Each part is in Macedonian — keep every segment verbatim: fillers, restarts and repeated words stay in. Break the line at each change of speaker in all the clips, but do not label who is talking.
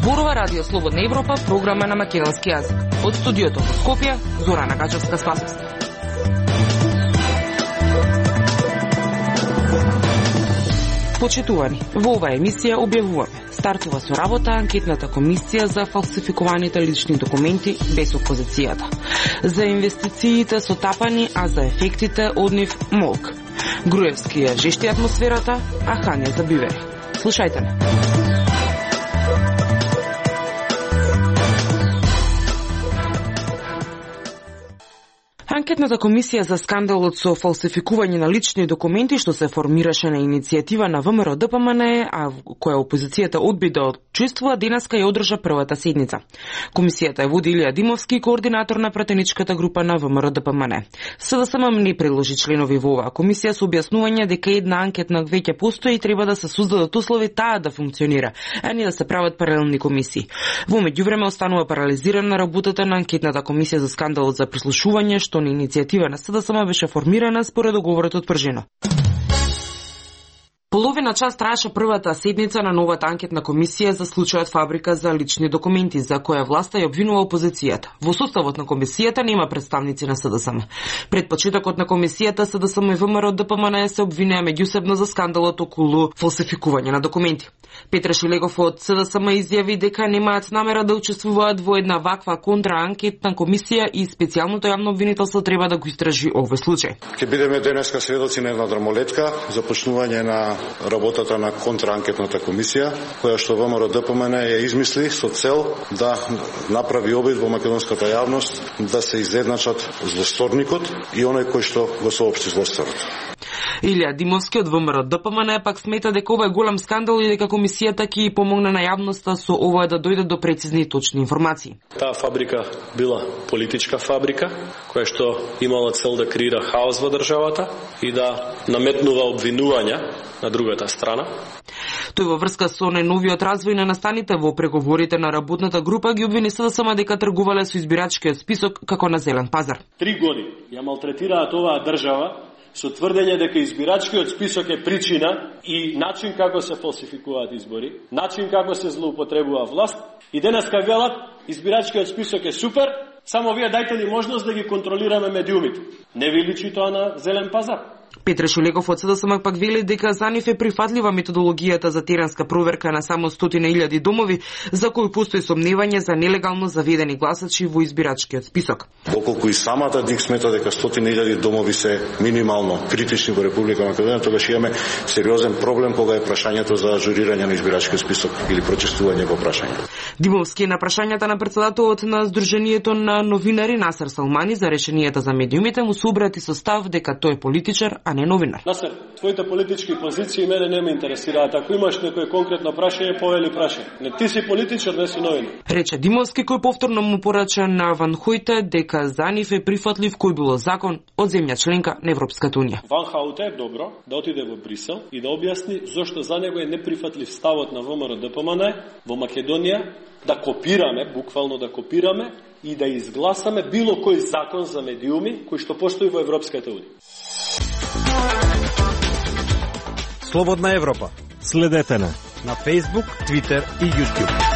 Зборува Радио Слободна Европа, програма на македонски јазик. Од студиото во Скопје, Зорана Гачевска-Спасовска. Почитувани, во оваа емисија објавуваме. Стартува со работа анкетната комисија за фалсификуваните лични документи без опозицијата. За инвестициите со тапани, а за ефектите од нив молк. Груевски ја жешти атмосферата, а Хања за бивери. Слушајте не. Анкетната комисија за скандалот со фалсификување на лични документи што се формираше на иницијатива на ВМРО-ДПМН, а која опозицијата одби да учествува, денеска ја одржа првата седница. Комисијата ја води Илија Димовски, координатор на пратеничката група на ВМРО-ДПМН. СДСМ не предложи членови во оваа комисија со објаснување дека една анкетна веќе постои и треба да се создадат услови таа да функционира, а не да се прават паралелни комисии. Во меѓувреме останува парализирана работата на анкетната комисија за скандалот за прислушување што на иницијатива на СДСМ беше формирана според договорот од Пржино. Половина час траеше првата седница на новата анкетна комисија за случајот Фабрика за лични документи, за која власта ја обвинува опозицијата. Во составот на комисијата нема представници на СДСМ. Пред почетокот на комисијата СДСМ и ВМРО-ДПМН се обвинеа меѓусебно за скандалот околу фалсификување на документи. Петре Шилегов од СДСМ изјави дека немаат намера да учествуваат во една ваква контраанкетна комисија и специјалното јавно обвинителство треба да го истражи овој случај.
Ќе бидеме денеска сведоци на една дрмолетка, започнување на работата на контраанкетната комисија, која што ВМРО-ДПМН ја измисли со цел да направи обид во македонската јавност да се изедначат злосторникот и оној кој што го соопшти злосторот.
Илија Димовски од ВМРО-ДПМН пак смета дека ова е голем скандал и дека комисијата ќе помогне на јавноста со ова да дојде до прецизни и точни информации.
Таа фабрика била политичка фабрика, која што имала цел да креира хаос во државата и да наметнува обвинувања на другата страна.
Тој во врска со најновиот развој на настаните во преговорите на работната група ги обвини СДСМ дека тргувале со избирачкиот список како на зелен пазар.
Три години ја малтретираат оваа држава со тврдење дека избирачкиот список е причина и начин како се фалсификуваат избори, начин како се злоупотребува власт и денеска велат избирачкиот список е супер, само вие дајте ни можност да ги контролираме медиумите. Не ви личи тоа на зелен пазар?
Петре Шулегов од СДСМ пак вели дека за нив е прифатлива методологијата за теренска проверка на само стотина илјади домови за кои постои сомневање за нелегално заведени гласачи во избирачкиот список.
Доколку и самата ДИК смета дека стотина илјади домови се минимално критични во Република Македонија, тогаш имаме сериозен проблем кога е прашањето за ажурирање на избирачкиот список или прочистување во прашањето.
Димовски на прашањата на председателот на Сдруженијето на новинари Насер Салмани за решенијата за медиумите му се обрати со став дека тој е политичар, а не новинар.
Насер, твоите политички позиции мене не ме интересираат. Ако имаш некој конкретно прашање, повели прашање. Не ти си политичар, не си новинар.
Рече Димовски, кој повторно му порача на Ван Хојте дека за нив е прифатлив кој било закон од земја членка на Европската унија.
Ван Хојте е добро да отиде во Брисел и да објасни зошто за него е неприфатлив ставот на ВМРО-ДПМН во Македонија да копираме, буквално да копираме и да изгласаме било кој закон за медиуми кој што постои во Европската унија.
Слободна Европа. Следете на на Facebook, Twitter и YouTube.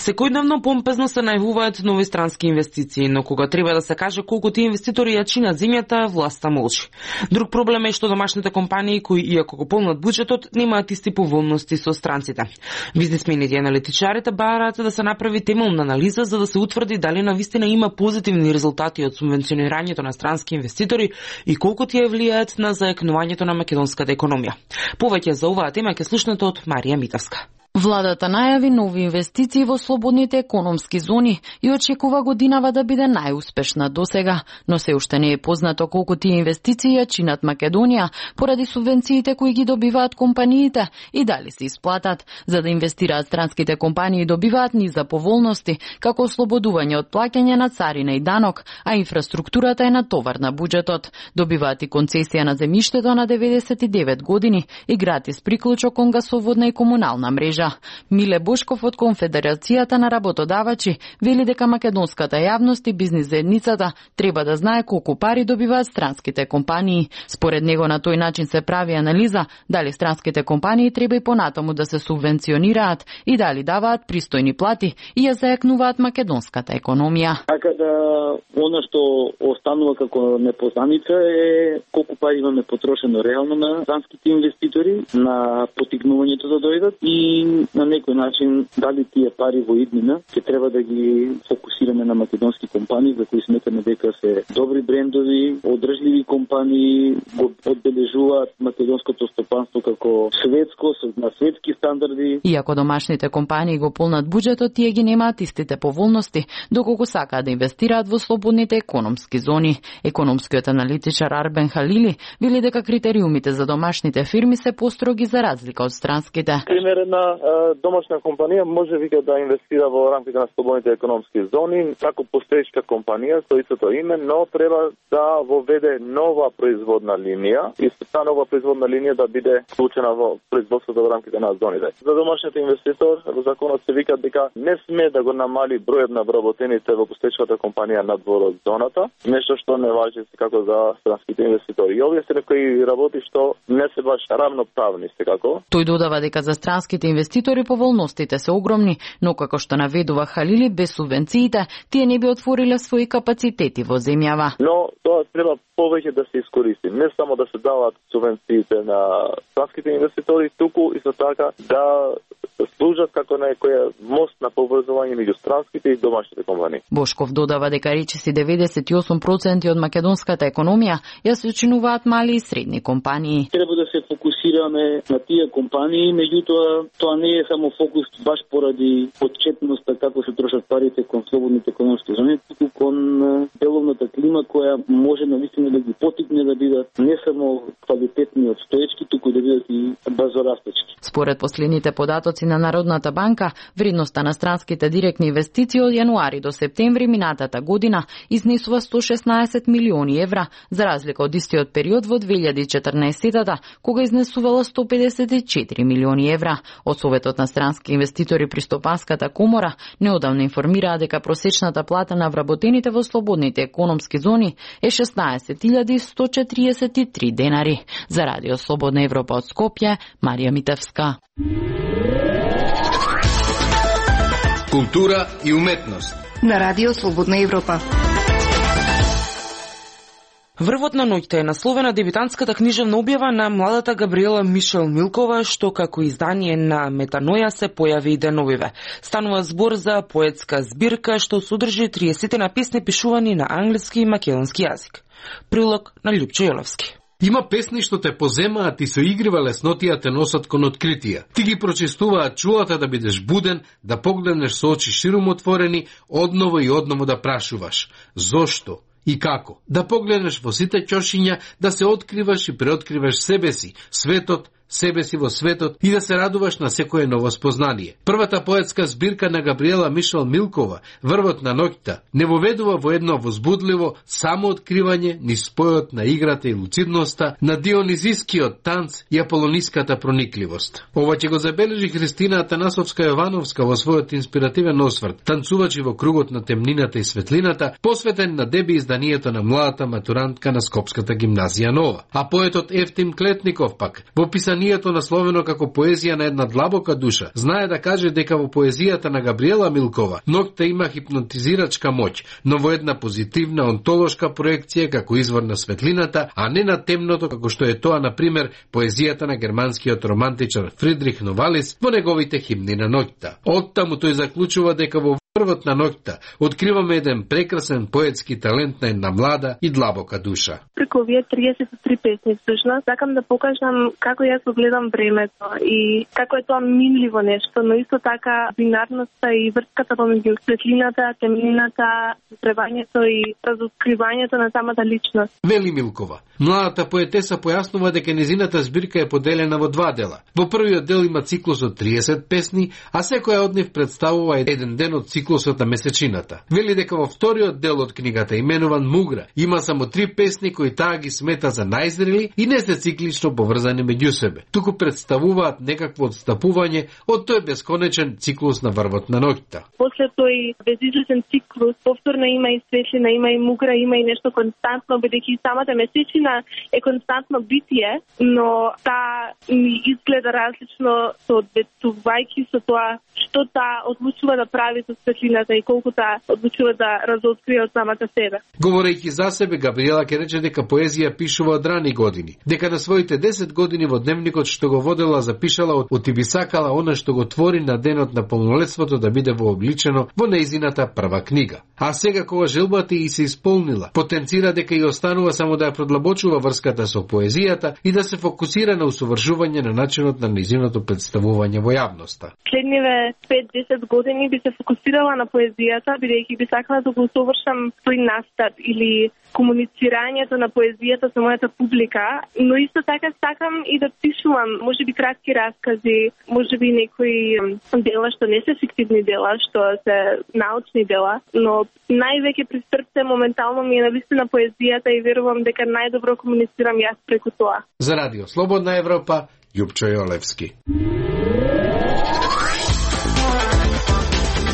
Секојдневно помпезно се најавуваат нови странски инвестиции, но кога треба да се каже колку тие инвеститори ја чинат земјата, власта молчи. Друг проблем е што домашните компании кои иако го полнат буџетот, немаат исти поволности со странците. Бизнисмените и аналитичарите бараат да се направи темелна анализа за да се утврди дали навистина има позитивни резултати од субвенционирањето на странски инвеститори и колку тие влијаат на заекнувањето на македонската економија. Повеќе за оваа тема ќе слушнете од Марија Митевска.
Владата најави нови инвестиции во слободните економски зони и очекува годинава да биде најуспешна досега, но се уште не е познато колку тие инвестиции ја чинат Македонија поради субвенциите кои ги добиваат компаниите и дали се исплатат. За да инвестираат странските компании добиваат низ за поволности, како ослободување од плаќање на царина и данок, а инфраструктурата е натовар на буџетот. Добиваат и концесија на земјиштето на деветдесет и девет години и гратис приклучок кон гасоводна и комунална мрежа. мрежа. Миле Бошков од Конфедерацијата на работодавачи вели дека македонската јавност и бизнис заедницата треба да знае колку пари добиваат странските компании. Според него на тој начин се прави анализа дали странските компании треба и понатаму да се субвенционираат и дали даваат пристојни плати и ја зајакнуваат македонската економија.
Така да она што останува како непознаница е колку пари имаме потрошено реално на странските инвеститори, на потикнувањето да дојдат и на некој начин дали тие пари во иднина ќе треба да ги фокусираме на македонски компании за кои сметаме дека се добри брендови, одржливи компании, го одбележуваат македонското стопанство како светско, на светски стандарди.
Иако домашните компании го полнат буџетот, тие ги немаат истите поволности доколку сакаат да инвестираат во слободните економски зони. Економскиот аналитичар Арбен Халили вели дека критериумите за домашните фирми се построги за разлика од странските.
Пример, една домашна компанија може вика да инвестира во рамките на слободните економски зони како постоечка компанија со истото име, но треба да воведе нова производна линија и таа нова производна линија да биде вклучена во производството во рамките на зоните. За домашниот инвеститор во законот се вика дека не сме да го намали бројот на вработените во постоечката компанија надвор од зоната, нешто што не важи како за странските инвеститори. И овие се некои работи што не се баш равноправни секако.
Тој додава дека за странските инвеститори поволностите се огромни, но како што наведува Халили, без субвенциите тие не би отвориле своји капацитети во земјава.
Но тоа треба повеќе да се искористи, не само да се даваат субвенциите на странските инвеститори, туку исто така да служат како некоја мост на поврзување меѓу странските и домашните компании.
Бошков додава дека речиси деветдесет и осум проценти од македонската економија ја сочинуваат мали и средни компании.
Треба да се фокусираме на тие компании, меѓутоа тоа не е само фокус баш поради отчетноста како се трошат парите кон слободните економски зони, туку кон деловната клима која може навистина да ги потикне да бидат не само квалитетни од стоечки, туку да бидат и брзорастечки.
Според последните податоци на Народната банка, вредноста на странските директни инвестиции од јануари до септември минатата година изнесува сто шеснаесет милиони евра, за разлика од истиот период во две илјади и четрнаесетта, кога изнесувала сто педесет и четири милиони евра. Од Советот на странски инвеститори при Стопанската комора неодамна информираа дека просечната плата на вработените во слободните економски зони е шеснаесет илјади сто четиридесет и три денари. За Радио Слободна Европа од Скопје, Марија Митевска.
Култура и уметност
на Радио Слободна Европа.
Врвот на ноќта е насловена дебютантската книжевна објава на младата Габриела Мишел Милкова, што како издание на Метаноја се појави и деновиве. Станува збор за поетска збирка што содржи триесет на песни пишувани на англиски и македонски јазик. Прилог на Љупчо Јоловски.
Има песни што те поземаат и со игрива леснотија те носат кон откритија. Ти ги прочистуваат чулата да бидеш буден, да погледнеш со очи широм отворени, одново и одново да прашуваш. Зошто? И како? Да погледнеш во сите ќошиња, да се откриваш и преоткриваш себе си, светот, себе си во светот и да се радуваш на секое ново спознание. Првата поетска збирка на Габриела Мишел Милкова, Врвот на ноќта, не воведува во едно возбудливо самооткривање ни спојот на играта и луцидноста, на дионизискиот танц и аполониската проникливост. Ова ќе го забележи Христина Атанасовска-Јовановска во својот инспиративен осврт, танцувачи во кругот на темнината и светлината, посветен на деби изданието на младата матурантка на Скопската гимназија Нова. А поетот Ефтим Клетников пак, во писанието насловено како поезија на една длабока душа, знае да каже дека во поезијата на Габриела Милкова ноќта има хипнотизирачка моќ, но во една позитивна онтолошка проекција како извор на светлината, а не на темното како што е тоа, на пример, поезијата на германскиот романтичар Фридрих Новалис во неговите химни на ноќта. Оттаму тој заклучува дека во Врвот на ноќта откриваме еден прекрасен поетски талент на една млада и длабока душа.
Преку овие триесет и три песни всушност сакам да покажам како јас го гледам времето и како е тоа минливо нешто, но исто така бинарноста и врската помеѓу светлината, темнината, требањето и разоткривањето на самата личност.
Вели Милкова, Младата поетеса појаснува дека незината збирка е поделена во два дела. Во првиот дел има циклус од триесет песни, а секоја од нив представува еден ден од циклусот на месечината. Вели дека во вториот дел од книгата, именуван Мугра, има само три песни кои таа ги смета за најзрели и не се циклично поврзани меѓу себе, туку представуваат некакво одстапување од тој бесконечен циклус на врвот на ноќта.
После тој безизлезен циклус, повторно има и светлина, има и мугра, има и нешто константно, бидејќи самата месечина е константно битие, но таа ми изгледа различно соодветствувајќи со тоа што таа одлучува да прави со светлината и колку таа одлучува да разоткрие од самата себе.
Говорејќи за себе, Габриела ќе рече дека поезија пишува од рани години, дека на своите десет години во дневникот што го водела запишала од ти би сакала она што го твори на денот на полнолетството да биде вообличено во нејзината прва книга. А сега кога желбата и се исполнила, потенцира дека и останува само да ја продлабочува врската со поезијата и да се фокусира на усовршување на начинот на нејзиното представување во јавноста.
Следниве пет-десет години би се фокусирала на поезијата, бидејќи би сакала да го усовршам тој настап или комуницирањето на поезијата со мојата публика, но исто така сакам и да пишувам, можеби кратки раскази, можеби некои дела што не се фиктивни дела, што се научни дела, но највеќе при срце моментално ми е навистина поезијата и верувам дека најдобро комуницирам јас преку тоа.
За Радио Слободна Европа, Јупчо Јолевски.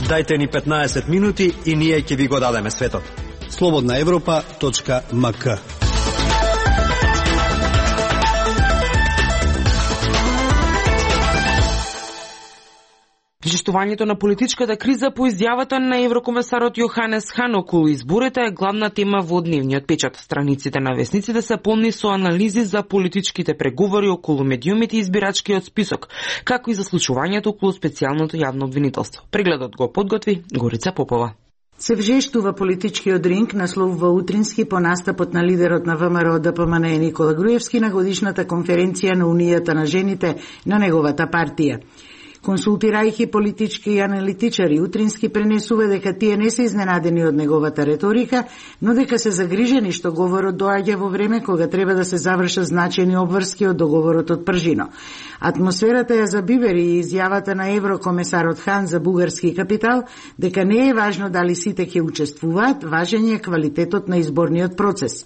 Дајте ни петнаесет минути и ние ќе ви го дадеме светот. слободна европа точка ем ка.
Причестувањето на политичката криза по изјавата на еврокомесарот Јоханес Хан околу изборите е главна тема во дневниот печат. Страниците на весниците се полни со анализи за политичките преговори околу медиумите и избирачкиот список, како и за случувањето околу специјалното јавно обвинителство. Прегледот го подготви Горица Попова.
Се вжештува политичкиот ринг наслов во утрински по настапот на лидерот на ВМРО Д П М Н Никола Груевски на годишната конференција на Унијата на жените на неговата партија. Консултирајќи политички и аналитичари, Утрински пренесува дека тие не се изненадени од неговата реторика, но дека се загрижени што говорот доаѓа во време кога треба да се завршат значајни обврски од договорот од Пржино. Атмосферата ја забивери и изјавата на еврокомесарот Хан за бугарски капитал, дека не е важно дали сите ќе учествуваат, важен е квалитетот на изборниот процес.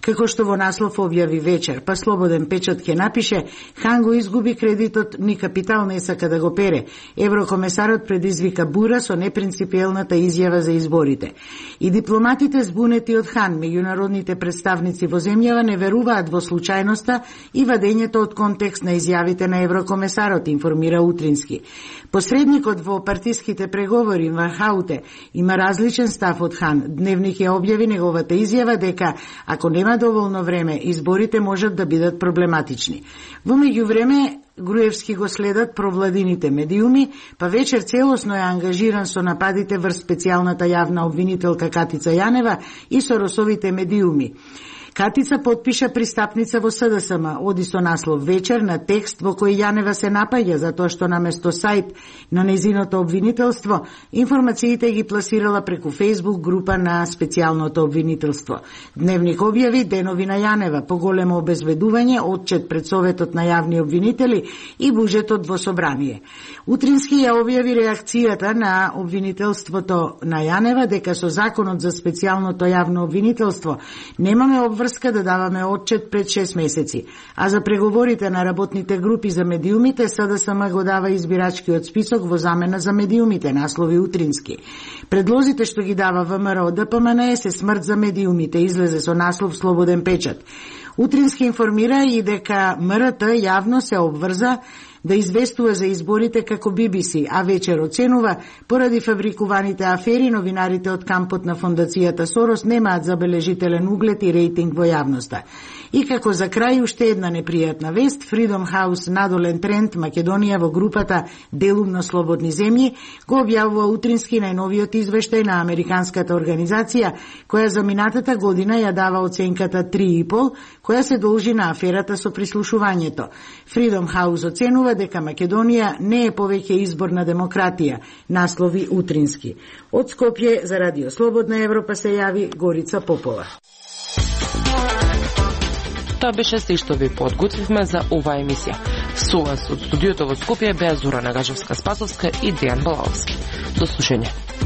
Како што во наслов објави вечер, па Слободен печат ќе напише, Хан го изгуби кредитот, ни капитал не сака да го пере. Еврокомесарот предизвика бура со непринципиелната изјава за изборите. И дипломатите збунети од Хан, меѓународните представници во земјава не веруваат во случајноста и вадењето од контекст на изјавите на еврокомесарот, информира Утрински. Посредникот во партиските преговори во Хауте има различен став од Хан. Дневник ја објави неговата изјава дека ако нема доволно време, изборите можат да бидат проблематични. Во меѓувреме, Груевски го следат провладините медиуми, па вечер целосно е ангажиран со нападите врз специјалната јавна обвинителка Катица Јанева и со Росовите медиуми. Катица потпиша пристапница во С Д С М, оди со наслов вечер на текст во кој Јанева се напаѓа затоа што наместо сајт на незиното обвинителство, информациите ги пласирала преку Фејсбук група на специјалното обвинителство. Дневник објави денови на Јанева, поголемо обезведување, отчет пред Советот на јавни обвинители и буџетот во собрание. Утрински ја објави реакцијата на обвинителството на Јанева дека со законот за специјалното јавно обвинителство немаме обврска да даваме отчет пред шест месеци, а за преговорите на работните групи за медиумите С Д С М го дава избирачкиот список во замена за медиумите, наслови Утрински. Предлозите што ги дава ВМРО Д П М Н се смрт за медиумите, излезе со наслов Слободен печат. Утрински информира и дека М Р Т јавно се обврза да известува за изборите како Би Би Си, а вечер оценува, поради фабрикуваните афери, новинарите од кампот на фондацијата Сорос немаат забележителен углед и рейтинг во јавноста. И како за крај уште една непријатна вест, Freedom House надолен тренд Македонија во групата Делумно слободни земји го објавува Утрински најновиот извештај на американската организација, која за минатата година ја дава оценката три и пол, која се должи на аферата со прислушувањето. Freedom House оценува дека Македонија не е повеќе изборна демократија, наслови Утрински. Од Скопје за Радио Слободна Европа се јави Горица Попова.
Тоа беше се што ви подготвивме за оваа емисија. Со вас од студиото во Скопје беа Зора Нагажевска-Спасовска и Дејан Балаловски. До слушање.